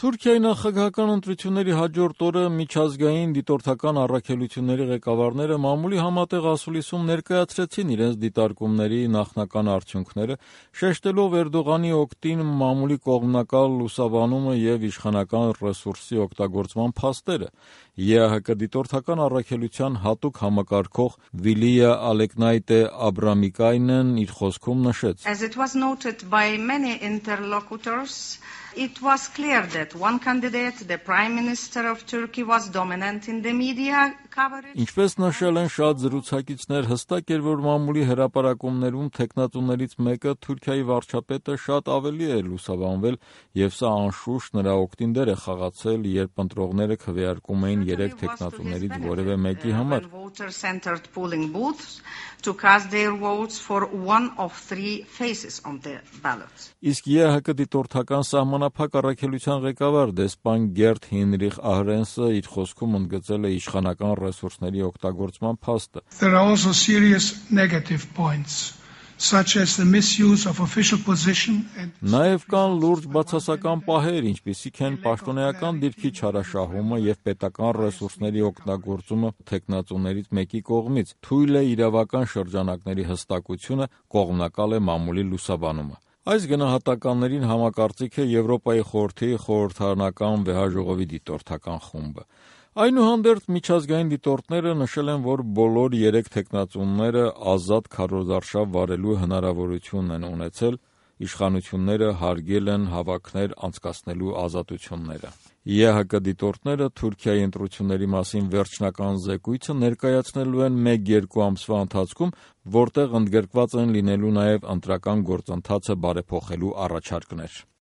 Թուրքիայի նախագահական ընտրությունների հաջորդ օրը միջազգային դիտորդական առաքելությունների ղեկավարները մամուլի համատեղ ասուլիսում ներկայացրեցին իրենց դիտարկումների նախնական արդյունքները, շեշտելով Էրդողանի օգտին մամուլի կողմնակալ լուսաբանումը և իշխանական ռեսուրսի օգտագործման փաստերը։ ԵԱՀԿ դիտորդական առաքելության հատուկ համակարգող Վիլիա Ալեկնայտե Աբրամիկայնն իր խոսքում նշեց. As it was noted by many interlocutors, it was clear that one candidate, the Prime Minister of Turkey, was dominant in the media coverage. Ինչպես նշել են շատ զրուցակիցներ, հստակ էր, որ մամուլի հրապարակումներում թեկնածուներից մեկը Թուրքիայի վարչապետը շատ ավելի է լուսաբանվել, եւ սա անշուշտ նրա օգտին դեր է խաղացել, երբ ընտրողները քվեարկում էին 3 թեկնածուներից որևէ մեկի համար։ Voter-centered polling booths to cast their votes for one of 3 faces on the ballot. Իսկ ԵԱՀԿ դիտորդական սահմանափակ առաքելության ղեկավար դեսպան Գերտ Հինրիխ Ահրենսը իր խոսքում ընդգծել է իշխանական ռեսուրսների օգտագործման փաստը։ There are also serious negative points, such as the misuse of official position and Նաև կան լուրջ բացասական պահեր, ինչպիսիք են պաշտոնեական դիրքի չարաշահումը եւ պետական ռեսուրսների օգտագործումը թեկնածուներից մեկի կողմից, թույլ է իրավական շրջանակների հստակությունը, կողմնակալ է մամուլի լուսաբանումը։ Այս գնահատականներին համակարծիք է Եվրոպայի խորհրդի խորհրդարանական վեհաժողովի դիտորդական խումբը։ Այնուհանդերձ միջազգային դիտորդները նշել են, որ բոլոր 3 թեկնածուները ազատ քարոզարշավ վարելու հնարավորություն են ունեցել, իշխանությունները հարգել են հավաքներ անցկացնելու ազատությունները։ ԵԱՀԿ դիտորդները Թուրքիայի ընտրությունների մասին վերջնական զեկույցը ներկայացնելու են 1-2 ամսվա ընթացքում, որտեղ ընդգրկված են լինելու նաև ընտրական գործընթացը բարեփոխելու առաջարկներ։